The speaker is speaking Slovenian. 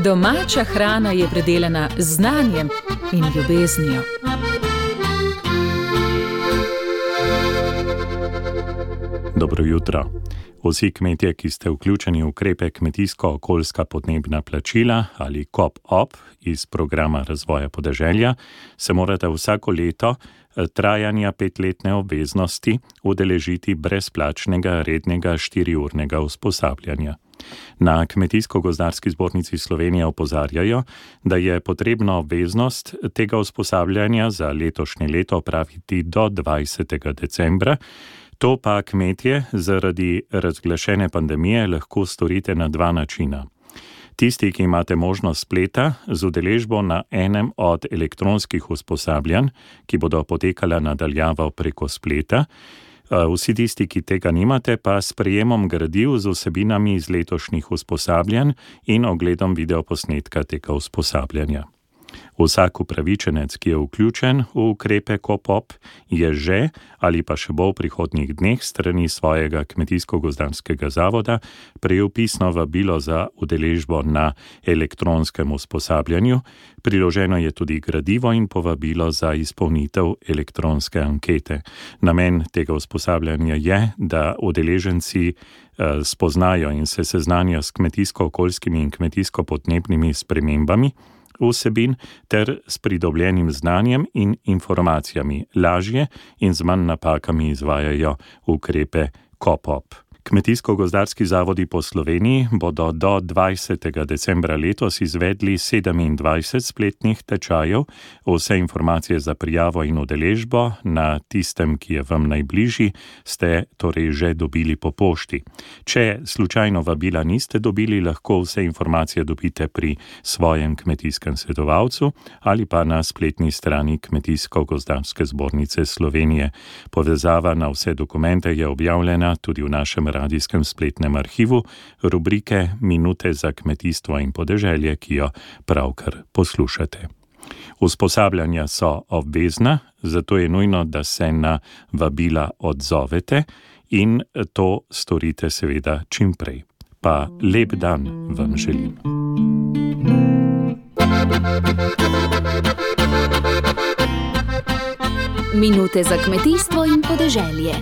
Domača hrana je predelana z znanjem in ljubeznijo. Dobro jutro. Vsi kmetje, ki ste vključeni v ukrepe kmetijsko-okoljska podnebna plačila ali KOP-OP iz programa razvoja podeželja, se morate vsako leto trajanja 5-letne obveznosti udeležiti brezplačnega rednega 4-urnega usposabljanja. Na Kmetijsko-gozdarski zbornici Slovenije opozarjajo, da je potrebno obveznost tega usposabljanja za letošnje leto opraviti do 20. decembra, to pa kmetje zaradi razglašene pandemije lahko storite na 2 načina. Tisti, ki imate možnost spleta, z udeležbo na enem od elektronskih usposabljanj, ki bodo potekala nadaljavo preko spleta, vsi tisti, ki tega nimate, pa s prejemom gradiv z vsebinami iz letošnjih usposabljanj in ogledom videoposnetka tega usposabljanja. Vsak upravičenec, ki je vključen v ukrepe KOP-OP, je že ali pa še bo v prihodnjih dneh strani svojega kmetijsko-gozdarskega zavoda prejel pisno vabilo za udeležbo na elektronskem usposabljanju. Priloženo je tudi gradivo in povabilo za izpolnitev elektronske ankete. Namen tega usposabljanja je, da udeleženci spoznajo in se seznanijo s kmetijsko-okoljskimi in kmetijsko-podnebnimi spremembami vsebin ter s pridobljenim znanjem in informacijami lažje in z manj napakami izvajajo ukrepe KOP-OP. Kmetijsko-gozdarski zavodi po Sloveniji bodo do 20. decembra letos izvedli 27 spletnih tečajev. Vse informacije za prijavo in udeležbo na tistem, ki je vam najbližji, ste torej že dobili po pošti. Če slučajno vabila niste dobili, lahko vse informacije dobite pri svojem kmetijskem svetovalcu ali pa na spletni strani Kmetijsko-gozdarske zbornice Slovenije. Povezava na vse dokumente je objavljena tudi v našem radijskem spletnem arhivu rubrike Minute za kmetijstvo in podeželje, ki jo pravkar poslušate. Usposabljanja so obvezna, zato je nujno, da se na vabila odzovete in to storite seveda čim prej. Pa lep dan vam želim. Minute za kmetijstvo in podeželje.